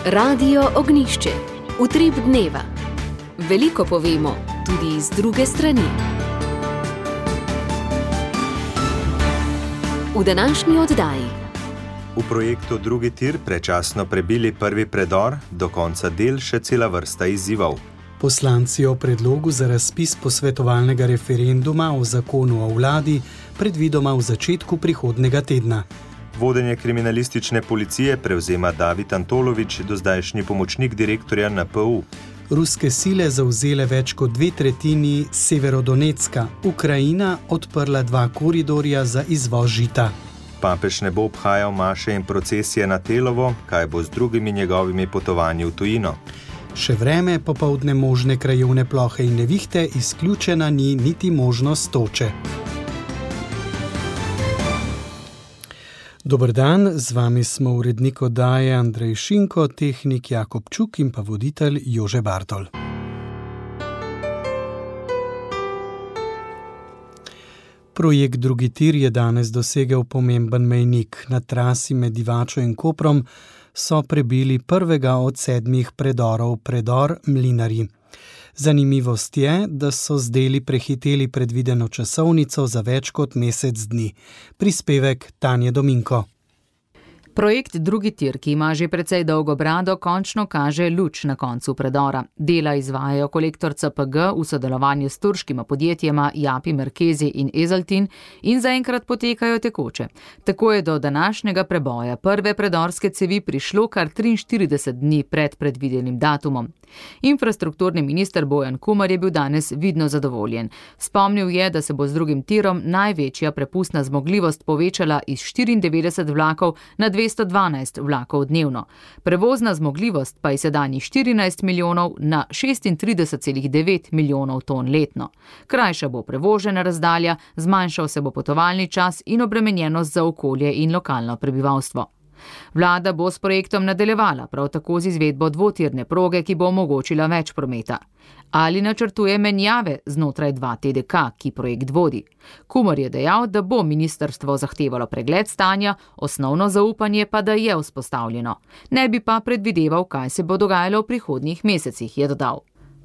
Radio Ognjišče. Utrip dneva. Veliko povemo, tudi iz druge strani. V današnji oddaji. V projektu Drugi tir prečasno prebili prvi predor, do konca del še cela vrsta izzivov. Poslanci o predlogu za razpis posvetovalnega referenduma o zakonu o vladi predvidoma v začetku prihodnjega tedna. Vodenje kriminalistične policije prevzema David Antolovič, dozdajšnji pomočnik direktorja NPU. Ruske sile zavzele več kot 2/3 Severodonecka. Ukrajina odprla 2 koridorja za izvoz žita. Papež ne bo obhajal maše in procesije na Telovo, kaj bo z drugimi njegovimi potovanji v tujino. Še vreme, popoldne možne krajevne plohe in nevihte, izključena ni niti možnost toče. Dober dan, z vami smo urednik oddaje Andrej Šinko, tehnik Jakob Čuk in pa voditelj Jože Bartol. Projekt Drugi tir je danes dosegel pomemben mejnik. Na trasi med Divačo in Koprom so prebili prvega od 7 predorov, predor Mlinarji. Zanimivost je, da so z deli prehiteli predvideno časovnico za več kot mesec dni. Prispevek Tanje Dominko. Projekt Drugi tir, ki ima že precej dolgo brado, končno kaže luč na koncu predora. Dela izvajajo kolektor CPG v sodelovanju s turškima podjetjema Japi Merkezi in Ezaltin in zaenkrat potekajo tekoče. Tako je do današnjega preboja prve predorske cevi prišlo kar 43 dni pred predvidenim datumom. Infrastrukturni minister Bojan Kumer je bil danes vidno zadovoljen. Spomnil je, da se bo z drugim tirom največja prepustna zmogljivost povečala iz 94 vlakov na 212 vlakov dnevno. Prevozna zmogljivost pa je sedanjih 14 milijonov na 36,9 milijonov ton letno. Krajša bo prevožena razdalja, zmanjšal se bo potovalni čas in obremenjenost za okolje in lokalno prebivalstvo. Vlada bo s projektom nadaljevala, prav tako z izvedbo dvotirne proge, ki bo omogočila več prometa. Ali načrtuje menjave znotraj 2TDK, ki projekt vodi? Kumer je dejal, da bo ministrstvo zahtevalo pregled stanja, osnovno zaupanje pa da je vzpostavljeno. Ne bi pa predvideval, kaj se bo dogajalo v prihodnjih mesecih, je dodal.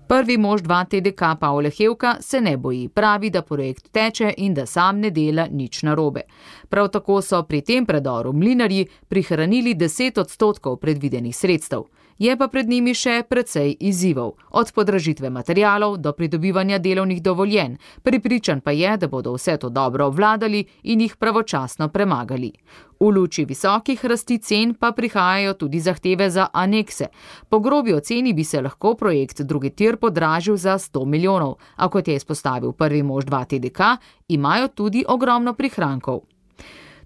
Prvi mož 2TDK Pavle Hevka se ne boji, pravi, da projekt teče in da sam ne dela nič narobe. Prav tako so pri tem predoru Mlinarji prihranili 10% predvidenih sredstev. Je pa pred njimi še precej izzivov, od podražitve materialov do pridobivanja delovnih dovoljenj. Prepričan pa je, da bodo vse to dobro obvladali in jih pravočasno premagali. V luči visokih rasti cen pa prihajajo tudi zahteve za anekse. Po grobi oceni bi se lahko projekt Drugi tir podražil za 100 milijonov, a kot je izpostavil prvi mož 2TDK, imajo tudi ogromno prihrankov.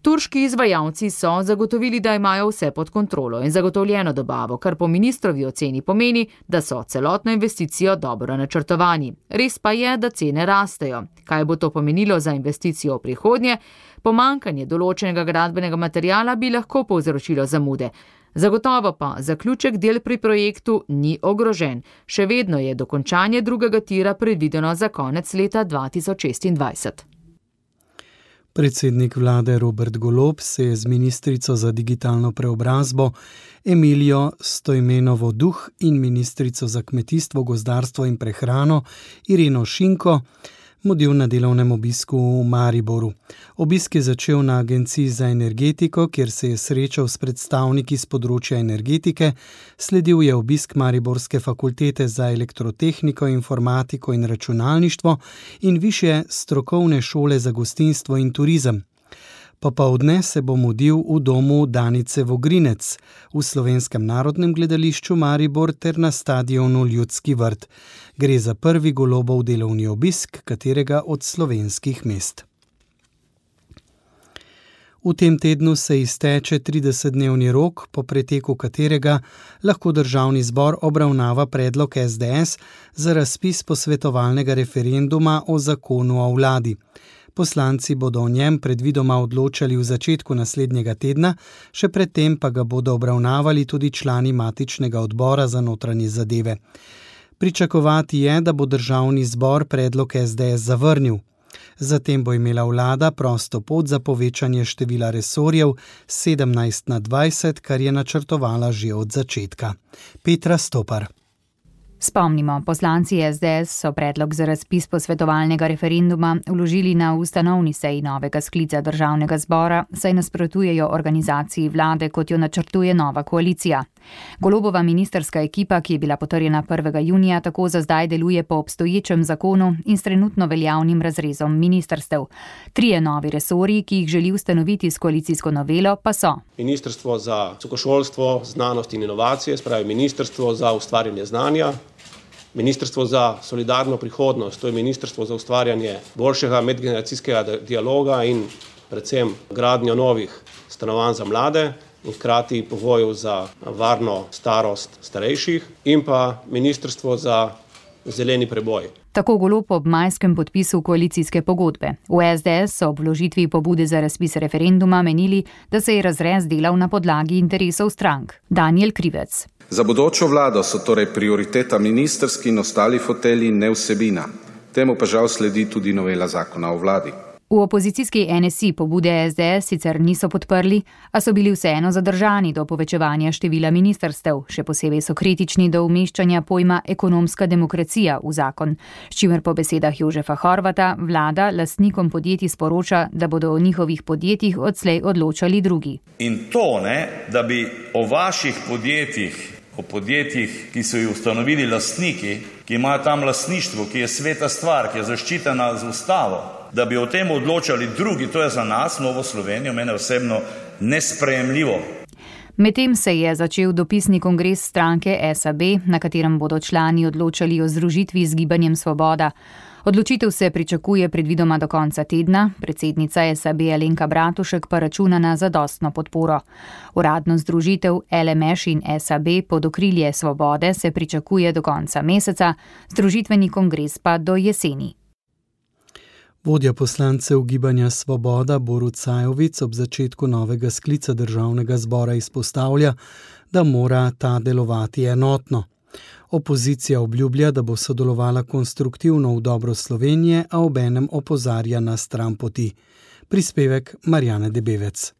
Turški izvajalci so zagotovili, da imajo vse pod kontrolo in zagotovljeno dobavo, kar po ministrovi oceni pomeni, da so celotno investicijo dobro načrtovani. Res pa je, da cene rastejo. Kaj bo to pomenilo za investicijo v prihodnje? Pomanjkanje določenega gradbenega materiala bi lahko povzročilo zamude. Zagotovo pa zaključek del pri projektu ni ogrožen. Še vedno je dokončanje drugega tira predvideno za konec leta 2026. Predsednik vlade Robert Golob se je z ministrico za digitalno preobrazbo Emilijo Stojmenovo Duh in ministrico za kmetijstvo, gozdarstvo in prehrano Ireno Šinko mudil na delovnem obisku v Mariboru. Obisk je začel na Agenciji za energetiko, kjer se je srečal s predstavniki z področja energetike, sledil je obisk Mariborske fakultete za elektrotehniko, informatiko in računalništvo in višje strokovne šole za gostinstvo in turizem. Popoldne se bo mudil v domu Danice Vogrinec, v Slovenskem narodnem gledališču Maribor ter na stadionu Ljudski vrt. Gre za prvi Golobov delovni obisk katerega od slovenskih mest. V tem tednu se izteče 30-dnevni rok, po preteku katerega lahko državni zbor obravnava predlog SDS za razpis posvetovalnega referenduma o zakonu o vladi. Poslanci bodo o njem predvidoma odločali v začetku naslednjega tedna, še predtem pa ga bodo obravnavali tudi člani matičnega odbora za notranje zadeve. Pričakovati je, da bo državni zbor predlog SDS zavrnil. Zatem bo imela vlada prosto pot za povečanje števila resorjev 17 na 20, kar je načrtovala že od začetka. Petra Stopar. Spomnimo, poslanci SDS so predlog za razpis posvetovalnega referenduma vložili na ustanovni seji novega sklica državnega zbora, saj nasprotujejo organizaciji vlade, kot jo načrtuje nova koalicija. Golobova ministrska ekipa, ki je bila potrjena 1. junija, tako za zdaj deluje po obstoječem zakonu in s trenutno veljavnim razrezom ministrstev. 3 novi resorji, ki jih želi ustanoviti s koalicijsko novelo, pa so: Ministrstvo za visokošolstvo, znanost in inovacije, spravi Ministrstvo za ustvarjanje znanja, Ministrstvo za solidarno prihodnost, to je Ministrstvo za ustvarjanje boljšega medgeneracijskega dialoga in predvsem gradnjo novih stanovanj za mlade in hkrati pogojev za varno starost starejših, in pa Ministrstvo za zeleni preboj. Tako Golob ob majskem podpisu koalicijske pogodbe. V SDS so ob vložitvi pobude za razpis referenduma menili, da se je razrez delal na podlagi interesov strank. Daniel Krivec. Za bodočo vlado so torej prioriteta ministrski in ostali fotelji, ne vsebina. Temu pa žal sledi tudi novela zakona o vladi. V opozicijski NSI pobude SDS sicer niso podprli, a so bili vseeno zadržani do povečevanja števila ministrstev. Še posebej so kritični do umeščanja pojma ekonomska demokracija v zakon, s čimer po besedah Jožefa Horvata vlada lastnikom podjetij sporoča, da bodo o njihovih podjetjih odslej odločali drugi. In to, da bi o vaših podjetjih, o podjetjih, ki so jih ustanovili lastniki, ki imajo tam lastništvo, ki je sveta stvar, ki je zaščitena z ustavo, da bi o tem odločali drugi, to je za nas, Novo Slovenijo, mene osebno nesprejemljivo. Medtem se je začel dopisni kongres stranke SAB, na katerem bodo člani odločali o združitvi z Gibanjem Svoboda. Odločitev se pričakuje predvidoma do konca tedna, predsednica SAB Alenka Bratušek pa računa na zadostno podporo. Uradno združitev LMŠ in SAB pod okrilje Svobode se pričakuje do konca meseca, združitveni kongres pa do jeseni. Vodja poslancev Gibanja Svoboda Borut Sajovic ob začetku novega sklica državnega zbora izpostavlja, da mora ta delovati enotno. Opozicija obljublja, da bo sodelovala konstruktivno v dobro Slovenije, a obenem opozarja na stranpoti. Prispevek Marjane Debevec.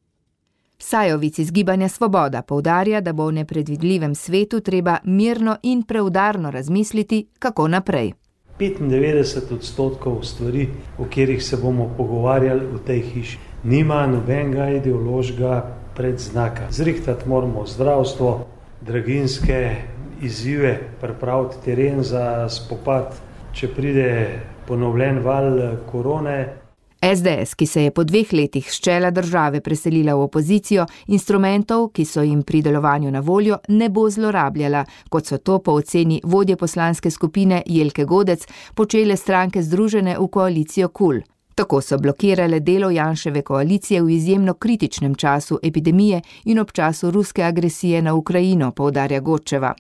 Sajovic iz Gibanja Svoboda poudarja, da bo v nepredvidljivem svetu treba mirno in preudarno razmisliti, kako naprej. 95% stvari, o katerih se bomo pogovarjali v tej hiši, nima nobenega ideološkega predznaka. Zrihtati moramo zdravstvo, draginjske izzive, pripraviti teren za spopad, če pride ponovljen val korone. SDS, ki se je po 2 letih s čela države preselila v opozicijo, instrumentov, ki so jim pri delovanju na voljo, ne bo zlorabljala, kot so to po oceni vodje poslanske skupine Jelke Godec počele stranke združene v koalicijo KUL. Tako so blokirale delo Janševe koalicije v izjemno kritičnem času epidemije in ob času ruske agresije na Ukrajino, poudarja Godčeva.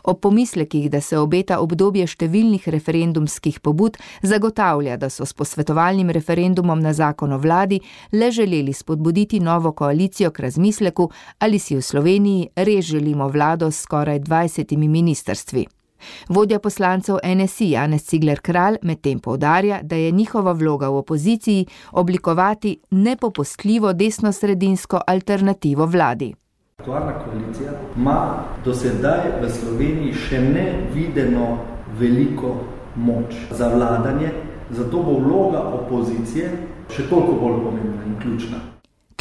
Ob pomislekih, da se obeta obdobje številnih referendumskih pobud, zagotavlja, da so s posvetovalnim referendumom na zakon o vladi le želeli spodbuditi novo koalicijo k razmisleku, ali si v Sloveniji res želimo vlado s skoraj 20 ministrstvi. Vodja poslancev NSI Janez Cigler Kralj medtem poudarja, da je njihova vloga v opoziciji oblikovati nepopustljivo desnosredinsko alternativo vladi. Aktualna koalicija ima do sedaj v Sloveniji še nevideno veliko moč za vladanje, zato bo vloga opozicije še toliko bolj pomembna in ključna.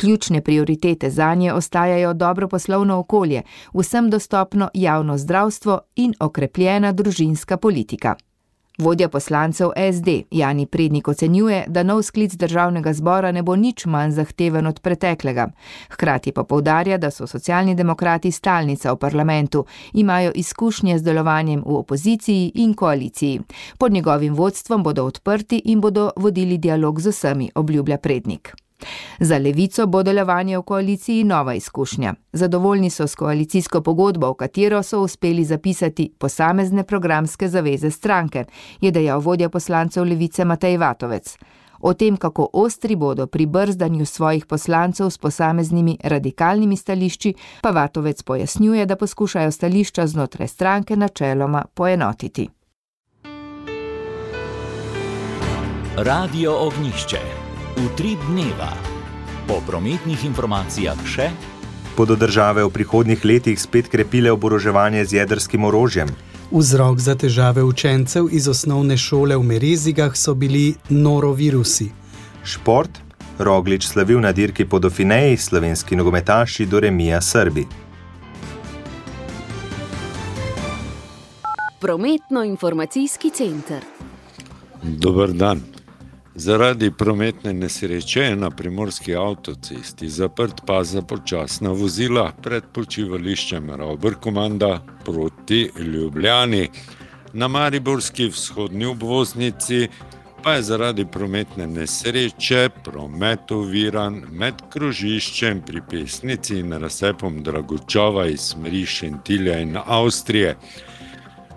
Ključne prioritete zanje ostajajo dobro poslovno okolje, vsem dostopno javno zdravstvo in okrepljena družinska politika. Vodja poslancev SD Jani Prednik ocenjuje, da nov sklic državnega zbora ne bo nič manj zahteven od preteklega. Hkrati pa poudarja, da so socialni demokrati stalnica v parlamentu, imajo izkušnje z delovanjem v opoziciji in koaliciji. Pod njegovim vodstvom bodo odprti in bodo vodili dialog z vsemi, obljublja Prednik. Za Levico bo delovanje v koaliciji nova izkušnja. Zadovoljni so s koalicijsko pogodbo, v katero so uspeli zapisati posamezne programske zaveze stranke, je dejal vodja poslancev Levice Matej Vatovec. O tem, kako ostri bodo pri brzdanju svojih poslancev s posameznimi radikalnimi stališči, pa Vatovec pojasnjuje, da poskušajo stališča znotraj stranke načeloma poenotiti. Radio Ognjišče. Utrip dneva. Po prometnih informacijah še. Bodo države v prihodnjih letih spet krepile oboroževanje z jedrskim orožjem? Vzrok za težave učencev iz osnovne šole v Merezigah so bili norovirusi. Šport. Roglič slavil na dirki po Dauphineji, slovenski nogometaši do remija Srbi. Prometno-informacijski center. Dober dan. Zaradi prometne nesreče je na primorski avtocesti zaprt pas za počasna vozila pred počivališčem Ravber-Komanda proti Ljubljani. Na mariborski vzhodni obvoznici pa je zaradi prometne nesreče promet oviran med krožiščem pri Pesnici in razcepom Dragočova iz smeri Šentilja in Avstrije.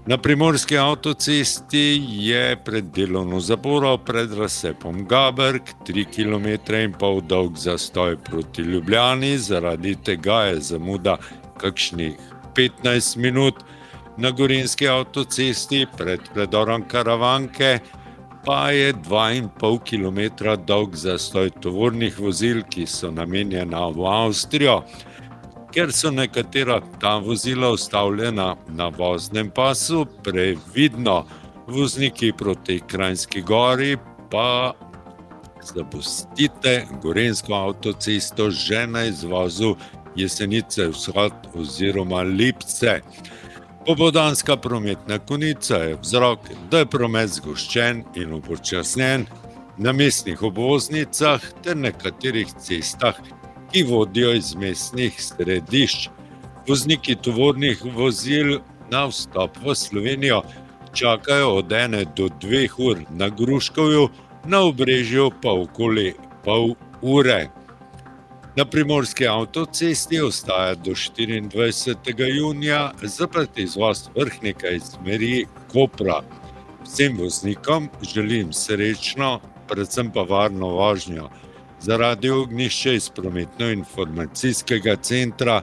Na primorski avtocesti je pred delovno zaporo pred razcepom Gaberg 3,5 km dolg zastoj proti Ljubljani, zaradi tega je zamuda kakšnih 15 minut. Na gorenjski avtocesti pred predorom Karavanke pa je 2,5 km dolg zastoj tovornih vozil, ki so namenjena v Avstrijo. Ker so nekatera ta vozila ustavljena na voznem pasu, previdno vozniki proti Kranjski Gori pa zapustite gorenjsko avtocesto že na izvozu Jesenice vzhod oziroma Lipce. Popoldanska prometna konica je vzrok, da je promet zgoščen in upočasnjen na mestnih obvoznicah ter nekaterih cestah, ki vodijo iz mestnih središč. Vozniki tovornih vozil na vstop v Slovenijo čakajo od 1 do 2 ur, na Gruškovju, na Obrežju pa okoli pol ure. Na primorski avtocesti ostaja do 24. junija zaprt izvoz Vrhnika iz smeri Kopra. Vsem voznikom želim srečno, predvsem pa varno vožnjo. Za Radio Ognjišče iz prometno-informacijskega centra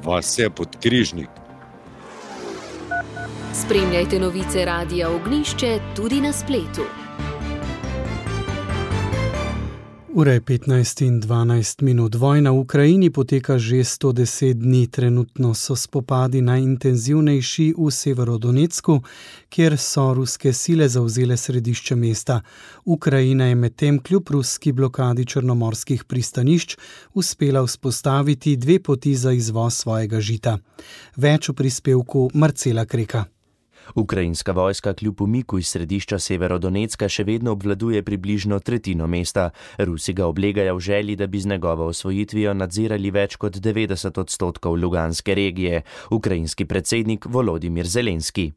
Vasja Podkrižnik. Spremljajte novice Radia Ognjišče tudi na spletu. Ura je 15 in 12 minut. Vojna v Ukrajini poteka že 110 dni. Trenutno so spopadi najintenzivnejši v Severodonecku, kjer so ruske sile zavzele središče mesta. Ukrajina je medtem kljub ruski blokadi črnomorskih pristanišč uspela vzpostaviti 2 poti za izvoz svojega žita. Več v prispevku Marcela Kreka. Ukrajinska vojska kljub umiku iz središča Severodonecka še vedno obvladuje približno tretjino mesta. Rusi ga oblegajo v želji, da bi z njegovo osvojitvijo nadzirali več kot 90% Luganske regije. Ukrajinski predsednik Volodimir Zelenski.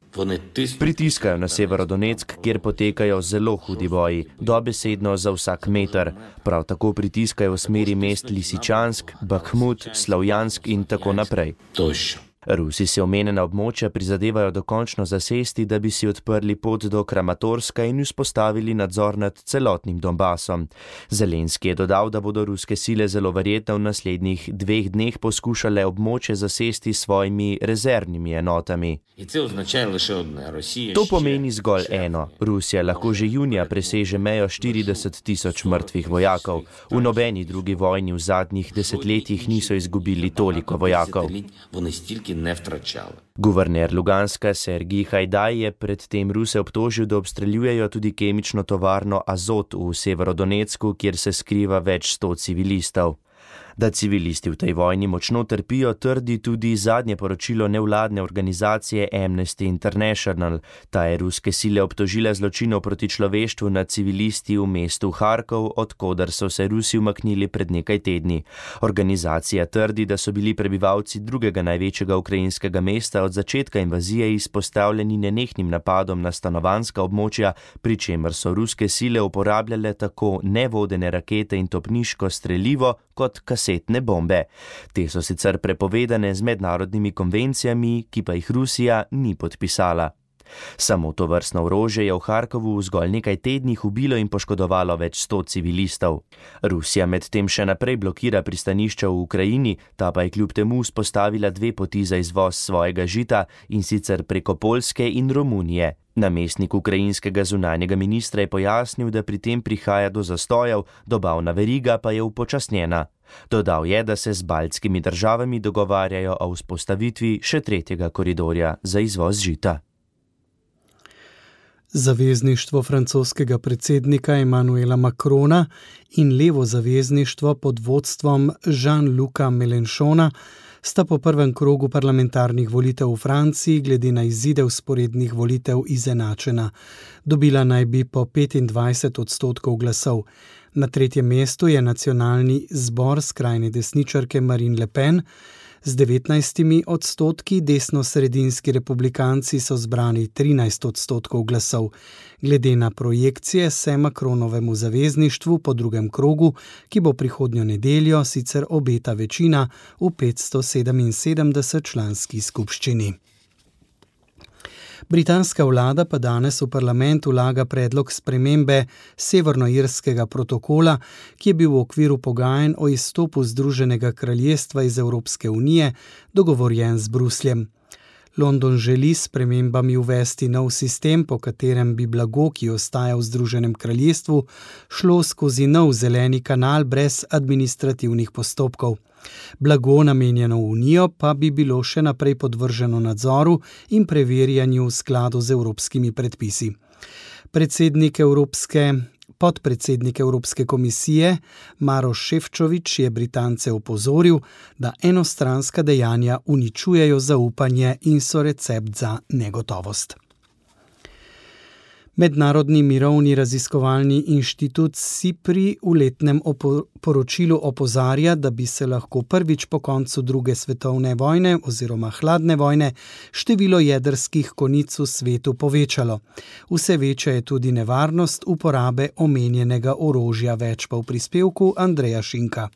Pritiskajo na Severodoneck, kjer potekajo zelo hudi boji, dobesedno za vsak meter. Prav tako pritiskajo v smeri mest Lisičansk, Bakhmut, Slavjansk in tako naprej. Rusi si omenjena območja prizadevajo dokončno zasesti, da bi si odprli pot do Kramatorska in vzpostavili nadzor nad celotnim Donbasom. Zelenski je dodal, da bodo ruske sile zelo verjetno v naslednjih 2 dneh poskušale območje zasesti s svojimi rezervnimi enotami. To pomeni zgolj eno. Rusija lahko že junija preseže mejo 40.000 mrtvih vojakov. V nobeni drugi vojni v zadnjih desetletjih niso izgubili toliko vojakov. Guverner Luganska Sergij Hajdaj je predtem Ruse obtožil, da obstreljujejo tudi kemično tovarno Azot v Severodonecku, kjer se skriva več 100 civilistov. Da civilisti v tej vojni močno trpijo, trdi tudi zadnje poročilo nevladne organizacije Amnesty International. Ta je ruske sile obtožila zločinov proti človeštvu nad civilisti v mestu Harkov, odkoder so se Rusi umaknili pred nekaj tedni. Organizacija trdi, da so bili prebivalci drugega največjega ukrajinskega mesta od začetka invazije izpostavljeni nenehnim napadom na stanovanjska območja, pri čemer so ruske sile uporabljale tako nevodene rakete in topniško strelivo kot kasetne bombe. Te so sicer prepovedane z mednarodnimi konvencijami, ki pa jih Rusija ni podpisala. Samo to vrstno orožje je v Harkovu v zgolj nekaj tednih ubilo in poškodovalo več 100 civilistov. Rusija medtem še naprej blokira pristanišča v Ukrajini, ta pa je kljub temu vzpostavila 2 poti za izvoz svojega žita, in sicer preko Poljske in Romunije. Namestnik ukrajinskega zunanjega ministra je pojasnil, da pri tem prihaja do zastojev, dobavna veriga pa je upočasnjena. Dodal je, da se z baltskimi državami dogovarjajo o vzpostavitvi še tretjega koridorja za izvoz žita. Zavezništvo francoskega predsednika Emmanuela Macrona in levo zavezništvo pod vodstvom Jean-Luca Mélenchona sta po prvem krogu parlamentarnih volitev v Franciji glede na izide vzporednih volitev izenačena. Dobila naj bi po 25% glasov. Na tretjem mestu je nacionalni zbor skrajne desničarke Marine Le Pen. Z 19%, desno-sredinski republikanci so zbrani 13% glasov. Glede na projekcije se Macronovemu zavezništvu po drugem krogu, ki bo prihodnjo nedeljo, sicer obeta večina v 577 članski skupščini. Britanska vlada pa danes v parlament vlaga predlog spremembe severnoirskega protokola, ki je bil v okviru pogajanj o izstopu Združenega kraljestva iz Evropske unije dogovorjen z Brusljem. London želi s spremembami uvesti nov sistem, po katerem bi blago, ki ostaja v Združenem kraljestvu, šlo skozi nov zeleni kanal brez administrativnih postopkov. Blago, namenjeno v Unijo, pa bi bilo še naprej podvrženo nadzoru in preverjanju v skladu z evropskimi predpisi. Podpredsednik Evropske komisije Maroš Šefčovič je Britance opozoril, da enostranska dejanja uničujejo zaupanje in so recept za negotovost. Mednarodni mirovni raziskovalni inštitut SIPRI v letnem poročilu opozarja, da bi se lahko prvič po koncu druge svetovne vojne oziroma hladne vojne število jedrskih konic v svetu povečalo. Vse večja je tudi nevarnost uporabe omenjenega orožja, več pa v prispevku Andreja Šinka.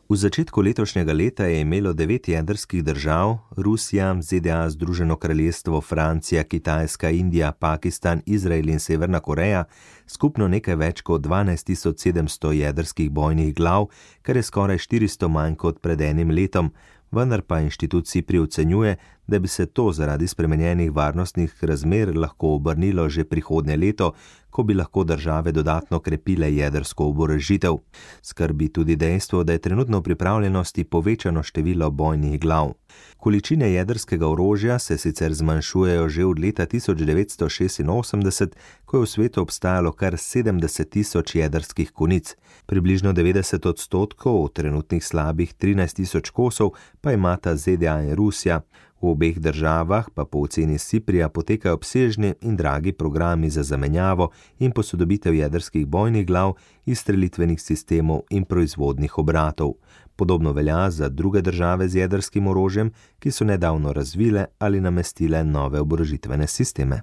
V začetku letošnjega leta je imelo 9 jedrskih držav, Rusija, ZDA, Združeno kraljestvo, Francija, Kitajska, Indija, Pakistan, Izrael in Severna Koreja, skupno nekaj več kot 12.700 jedrskih bojnih glav, kar je skoraj 400 manj kot pred enim letom, vendar pa inštitut SIPRI ocenjuje, da bi se to zaradi spremenjenih varnostnih razmer lahko obrnilo že prihodnje leto, ko bi lahko države dodatno krepile jedrsko oborožitev. Skrbi tudi dejstvo, da je trenutno v pripravljenosti povečano število bojnih glav. Količine jedrskega orožja se sicer zmanjšujejo že od leta 1986, ko je v svetu obstajalo kar 70.000 jedrskih konic. Približno 90% od trenutnih slabih 13.000 kosov pa imata ZDA in Rusija. V obeh državah pa po oceni SIPRIja potekajo obsežni in dragi programi za zamenjavo in posodobitev jedrskih bojnih glav, izstrelitvenih sistemov in proizvodnih obratov. Podobno velja za druge države z jedrskim orožjem, ki so nedavno razvile ali namestile nove oborožitvene sisteme.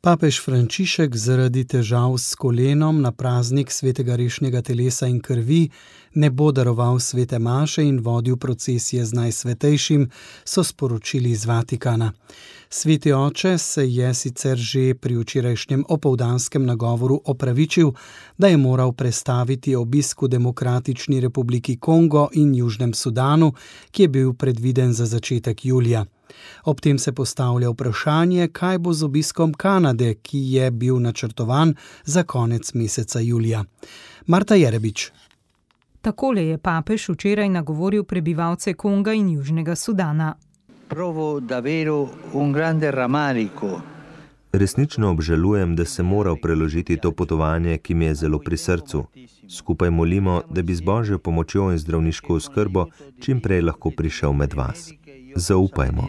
Papež Frančišek zaradi težav s kolenom na praznik svetega rešnega telesa in krvi ne bo daroval svete maše in vodil procesije z najsvetejšim, so sporočili iz Vatikana. Sveti oče se je sicer že pri včerajšnjem opoldanskem nagovoru opravičil, da je moral prestaviti obisk v Demokratični republiki Kongo in Južnem Sudanu, ki je bil predviden za začetek julija. Ob tem se postavlja vprašanje, kaj bo z obiskom Kanade, ki je bil načrtovan za konec meseca julija. Marta Jerebič. Takole je papež včeraj nagovoril prebivalce Konga in Južnega Sudana. Provo davvero un grande rammarico. Resnično obžalujem, da sem moral preložiti to potovanje, ki mi je zelo pri srcu. Skupaj molimo, da bi z Božjo pomočjo in zdravniško oskrbo čim prej lahko prišel med vas. Zaupajmo.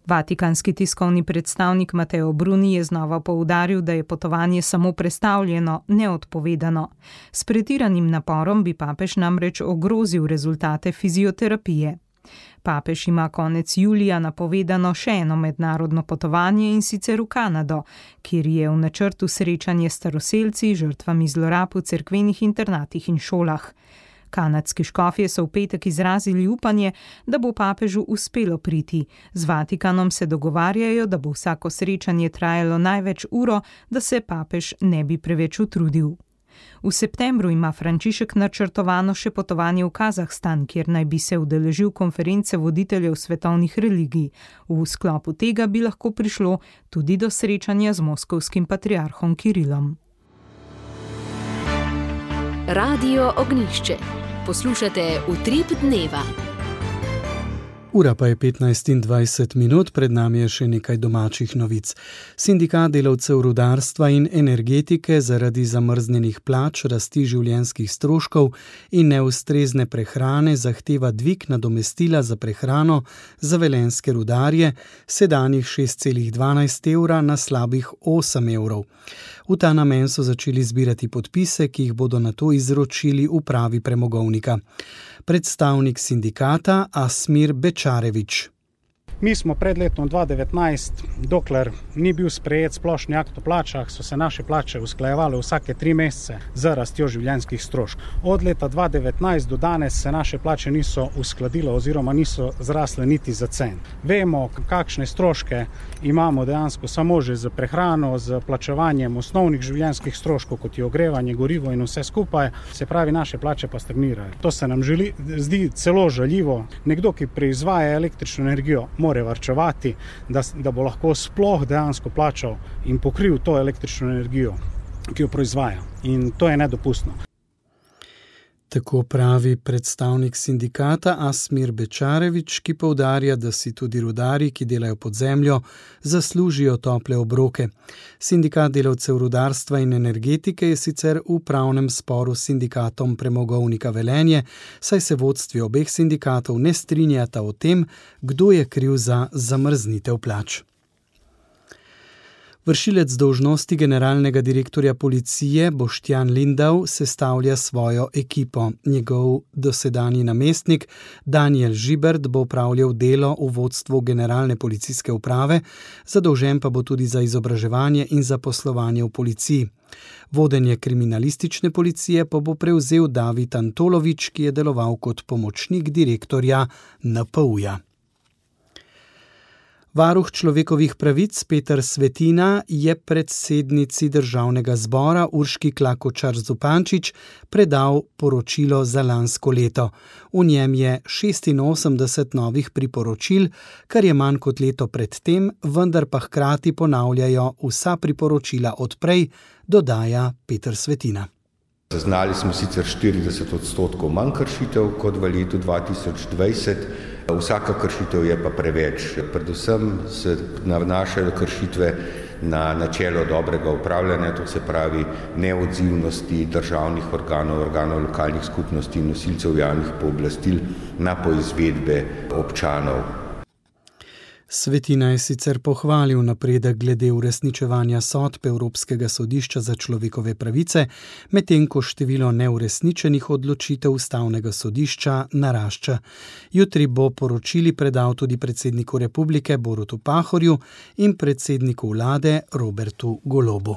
Vatikanski tiskovni predstavnik Mateo Bruni je znova poudaril, da je potovanje samo prestavljeno, ne odpovedano. S pretiranim naporom bi papež namreč ogrozil rezultate fizioterapije. Papež ima konec julija napovedano še eno mednarodno potovanje, in sicer v Kanado, kjer je v načrtu srečanje s staroselci, žrtvami zlorab v cerkvenih internatih in šolah. Kanadski škofje so v petek izrazili upanje, da bo papežu uspelo priti. Z Vatikanom se dogovarjajo, da bo vsako srečanje trajalo največ uro, da se papež ne bi preveč utrudil. V septembru ima Frančišek načrtovano še potovanje v Kazahstan, kjer naj bi se udeležil konference voditeljev svetovnih religij. V sklopu tega bi lahko prišlo tudi do srečanja z moskovskim patriarhom Kirilom. Radio Ognišče. Poslušate Utrip dneva. Ura pa je 15:20, pred nami je še nekaj domačih novic. Sindikat delavcev rudarstva in energetike zaradi zamrznjenih plač, rasti življenjskih stroškov in neustrezne prehrane zahteva dvig nadomestila za prehrano za velenjske rudarje sedanjih 6,12 evra na slabih 8 evrov. V ta namen so začeli zbirati podpise, ki jih bodo nato izročili upravi premogovnika. Predstavnik sindikata Asmir Bečarevič. Mi smo pred letom 2019, dokler ni bil sprejet splošni akt o plačah, so se naše plače usklajevale vsake 3 mesece z rastjo življenjskih stroškov. Od leta 2019 do danes se naše plače niso uskladile oziroma niso zrasle niti za cent. Vemo, kakšne stroške imamo dejansko samo že z prehrano, z plačevanjem osnovnih življenjskih stroškov, kot je ogrevanje, gorivo in vse skupaj, se pravi, naše plače pa stagnirajo. To se nam zdi celo žaljivo. Nekdo, ki proizvaja električno energijo, mora varčevati, da bo lahko sploh dejansko plačal in pokril to električno energijo, ki jo proizvaja. In to je nedopustno. Tako pravi predstavnik sindikata Asmir Bečarevič, ki poudarja, da si tudi rudarji, ki delajo pod zemljo, zaslužijo tople obroke. Sindikat delavcev rudarstva in energetike je sicer v pravnem sporu s sindikatom premogovnika Velenje, saj se vodstvi obeh sindikatov ne strinjata o tem, kdo je kriv za zamrznitev plač. Vršilec dolžnosti generalnega direktorja policije Boštjan Lindav sestavlja svojo ekipo. Njegov dosedanji namestnik Daniel Žibert bo opravljal delo v vodstvu generalne policijske uprave, zadolžen pa bo tudi za izobraževanje in zaposlovanje v policiji. Vodenje kriminalistične policije pa bo prevzel David Antolovič, ki je deloval kot pomočnik direktorja NPU-ja. Varuh človekovih pravic Peter Svetina je predsednici Državnega zbora Urški Klakočar Zupančič predal poročilo za lansko leto. V njem je 86 novih priporočil, kar je manj kot leto predtem, vendar pa hkrati ponavljajo vsa priporočila odprej, dodaja Peter Svetina. Zaznali smo sicer 40% manj kršitev kot v letu 2020. Vsaka kršitev je pa preveč. Predvsem se nanašajo kršitve na načelo dobrega upravljanja, to se pravi neodzivnosti državnih organov, organov lokalnih skupnosti in nosilcev javnih pooblastil na poizvedbe občanov. Svetina je sicer pohvalil napredek glede uresničevanja sodb Evropskega sodišča za človekove pravice, medtem ko število neuresničenih odločitev Ustavnega sodišča narašča. Jutri bo poročili predal tudi predsedniku republike Borutu Pahorju in predsedniku vlade Robertu Golobu.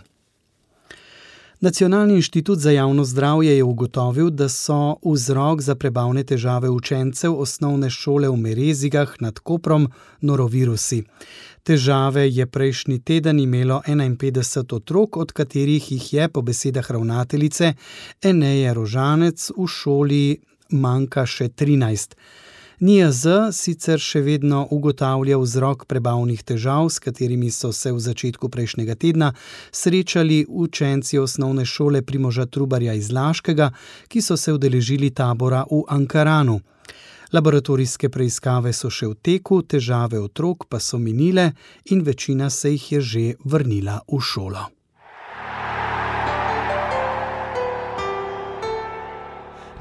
Nacionalni inštitut za javno zdravje je ugotovil, da so vzrok za prebavne težave učencev osnovne šole v Merezigah nad Koprom norovirusi. Težave je prejšnji teden imelo 51 otrok, od katerih jih je po besedah ravnateljice Eneje Rožanec v šoli manjka še 13. NIJZ sicer še vedno ugotavlja vzrok prebavnih težav, s katerimi so se v začetku prejšnjega tedna srečali učenci osnovne šole Primoža Trubarja iz Laškega, ki so se udeležili tabora v Ankaranu. Laboratorijske preiskave so še v teku, težave otrok pa so minile in večina se jih je že vrnila v šolo.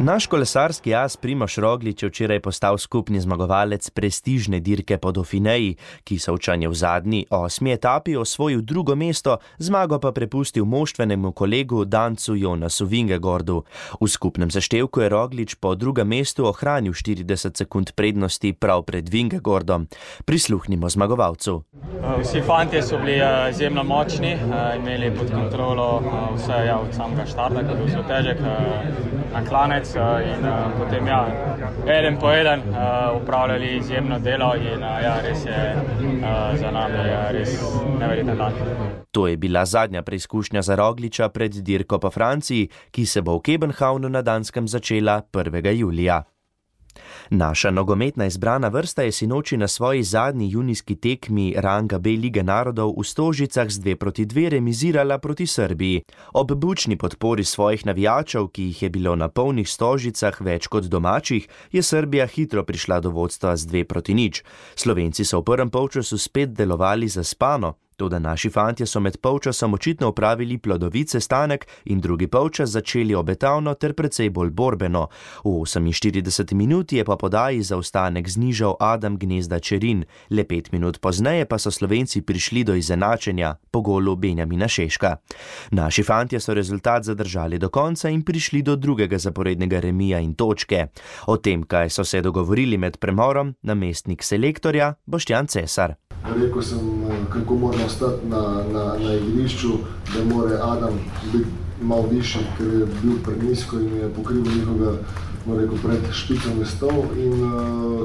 Naš kolesarski as Primož Roglič je včeraj postal skupni zmagovalec prestižne dirke po Dauphineji, ki Sovčan je v zadnji 8. etapi osvojil 2. mesto, zmago pa prepustil moštvenemu kolegu Dancu Jonasu Vingegordu. V skupnem seštevku je Roglič po 2. mestu ohranil 40 sekund prednosti prav pred Vingegordom. Prisluhnimo zmagovalcu. Vsi fantje so bili izjemno močni, imeli pod kontrolo vse od samega štarta, ki je bil zelo težek. na klanec in potem eden po eden upravljali izjemno delo in res je za nami res neverjeten dan. To je bila zadnja preizkušnja za Rogliča pred dirko po Franciji, ki se bo v Kopenhavnu na Danskem začela 1. julija. Naša nogometna izbrana vrsta je sinoči na svoji zadnji junijski tekmi ranga B Lige narodov v Stožicah z 2-2 remizirala proti Srbiji. Ob bučni podpori svojih navijačev, ki jih je bilo na polnih Stožicah več kot domačih, je Srbija hitro prišla do vodstva z 2-0. Slovenci so v prvem polčasu spet delovali zaspano. Toda naši fantje so med polčasom očitno opravili plodovit sestanek in drugi polčas začeli obetavno ter precej bolj borbeno. V 48 minuti je po podaji zaostanek znižal Adam Gnezda Čerin. Le 5 minut pozneje pa so Slovenci prišli do izenačenja po golu Benjamina Šeška. Naši fantje so rezultat zadržali do konca in prišli do drugega zaporednega remija in točke. O tem, kaj so se dogovorili med premorom, namestnik selektorja Boštjan Cesar. Rekel sem, kako mora ostati na igrišču, da mora Adam biti malo višji, ker je bil prenizko in je pokrival njihovega pred špico mestov in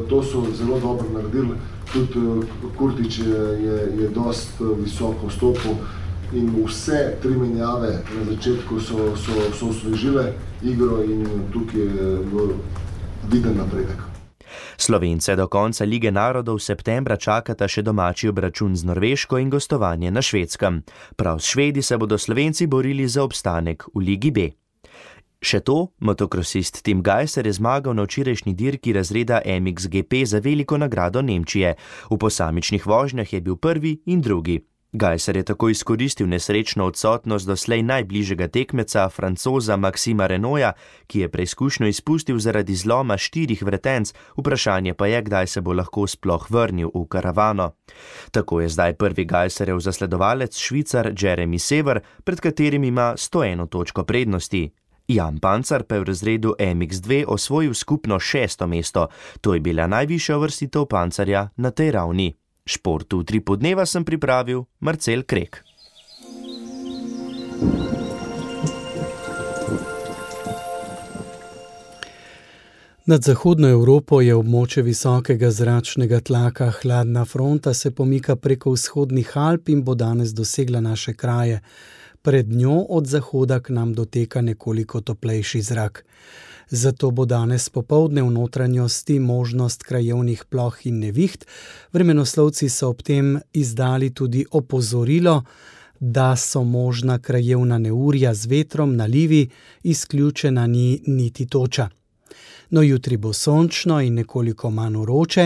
to so zelo dobro naredili. Tudi Kurtič je dost visoko vstopil in vse 3 menjave na začetku so osvežile igro in tukaj je viden napredek. Slovence do konca Lige narodov septembra čakata še domači obračun z Norveško in gostovanje na Švedskem. Prav s Švedi se bodo Slovenci borili za obstanek v Ligi B. Še to, motokrosist Tim Gajser je zmagal na včerajšnji dirki razreda MXGP za veliko nagrado Nemčije. V posamičnih vožnjah je bil prvi in drugi. Gajser je tako izkoristil nesrečno odsotnost doslej najbližjega tekmeca, Francoza Maxima Renaulta, ki je preizkušnjo izpustil zaradi zloma 4 vretenc, vprašanje pa je, kdaj se bo lahko sploh vrnil v karavano. Tako je zdaj prvi Gajserjev zasledovalec Švicar Jeremy Sever, pred katerim ima 101 točko prednosti. Jan Pancar pa je v razredu MX2 osvojil skupno 6. mesto, to je bila najvišja uvrstitev Pancarja na tej ravni. Šport v Utripu dneva sem pripravil Marcel Krek. Nad zahodno Evropo je območje visokega zračnega tlaka. Hladna fronta se pomika preko vzhodnih Alp in bo danes dosegla naše kraje. Pred njo od zahoda k nam doteka nekoliko toplejši zrak. Zato bo danes popoldne v notranjosti možnost krajevnih ploh in neviht. Vremenoslovci so ob tem izdali tudi opozorilo, da so možna krajevna neurja z vetrom, nalivi, izključena ni niti toča. No, jutri bo sončno in nekoliko manj vroče,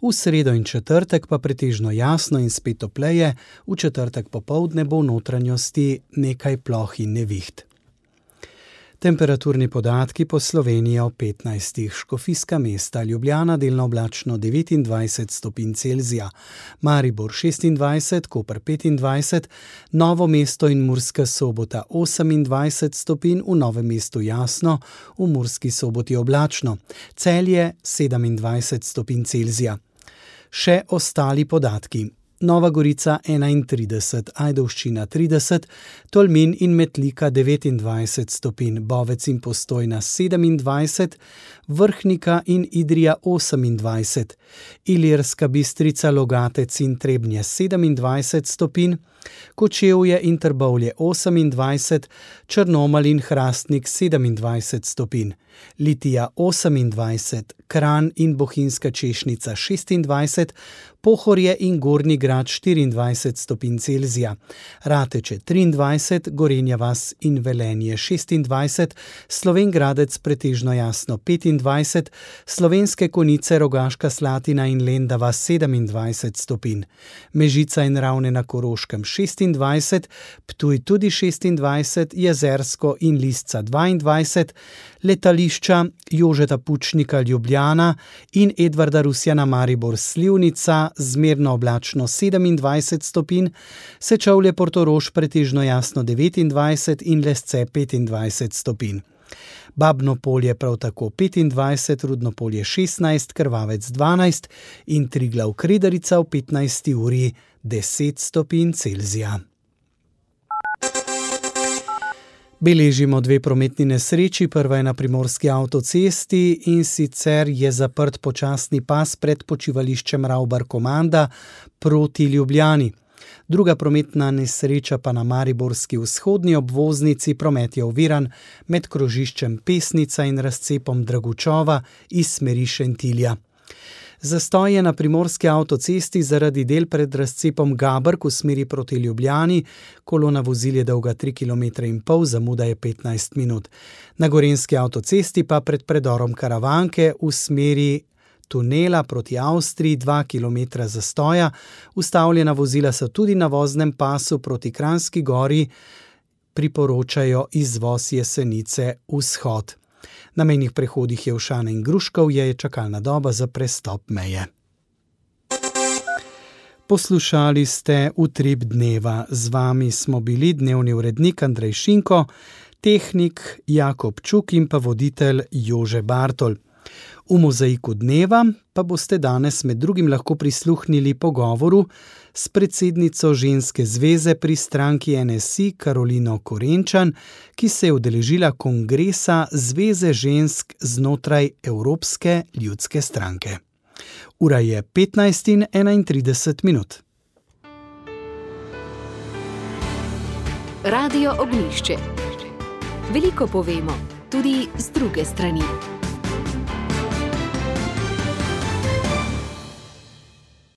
v sredo in četrtek pa pretežno jasno in spet topleje, v četrtek popoldne bo v notranjosti nekaj ploh in neviht. Temperaturni podatki po Sloveniji o 15. Škofijska mesta, Ljubljana delno oblačno 29 stopinj Celzija, Maribor 26, Koper 25, Novo mesto in Murska Sobota 28 stopinj, v Novem mestu jasno, v Murski Soboti oblačno, Celje 27 stopinj Celzija. Še ostali podatki. Nova Gorica 31, Ajdovščina 30, Tolmin in Metlika 29 stopinj, Bovec in Postojna 27, Vrhnika in Idrija 28, Ilirska Bistrica, Logatec in Trebnje 27 stopinj, Kočevje in Trbovlje 28, Črnomelj in Hrastnik 27 stopinj, Litija 28, Kranj in Bohinjska Češnica 26, Pohorje in Gornji Grad 24 stopinj Celzija, Rateče 23, Gorenja vas in Velenje 26, Slovenj Gradec pretežno jasno 25, Slovenske Konjice, Rogaška Slatina in Lendava 27 stopinj, Mežica in Ravne na Koroškem 26, Ptuj tudi 26, Jezersko in Lisca 22, letališča Jožeta Pučnika Ljubljana in Edvarda Rusjana Maribor Slivnica zmerno oblačno 27 stopinj, Sečovlje Portorož pretežno jasno 29 in Lesce 25 stopinj. Babno Polje prav tako 25, Rudno Polje 16, Krvavec 12 in Triglav Kredarica v 15. uri 10 stopinj Celzija. Beležimo 2 prometni nesreči, prva je na primorski avtocesti in sicer je zaprt počasni pas pred počivališčem Ravbar-Komanda proti Ljubljani. Druga prometna nesreča pa na mariborski vzhodni obvoznici, promet je oviran med krožiščem Pesnica in razcepom Dragučova iz smeri Šentilja. Zastoj je na primorski avtocesti zaradi del pred razcepom Gabrk v smeri proti Ljubljani, kolona vozil je dolga 3,5 km, zamuda je 15 minut. Na gorenjski avtocesti pa pred predorom Karavanke v smeri tunela proti Avstriji 2 km zastoja, ustavljena vozila so tudi na voznem pasu proti Kranjski Gori, priporočajo izvoz Jesenice vzhod. Na mejnih prehodih Jelšane in Gruškov je čakalna doba za prestop meje. Poslušali ste Utrip dneva. Z vami smo bili dnevni urednik Andrej Šinko, tehnik Jakob Čuk in pa voditelj Jože Bartol. V mozaiku dneva pa boste danes med drugim lahko prisluhnili pogovoru s predsednico ženske zveze pri stranki NSI Karolino Korenčan, ki se je udeležila kongresa Zveze žensk znotraj Evropske ljudske stranke. Ura je 15:31. Radio Ognjišče. Veliko povemo, tudi z druge strani.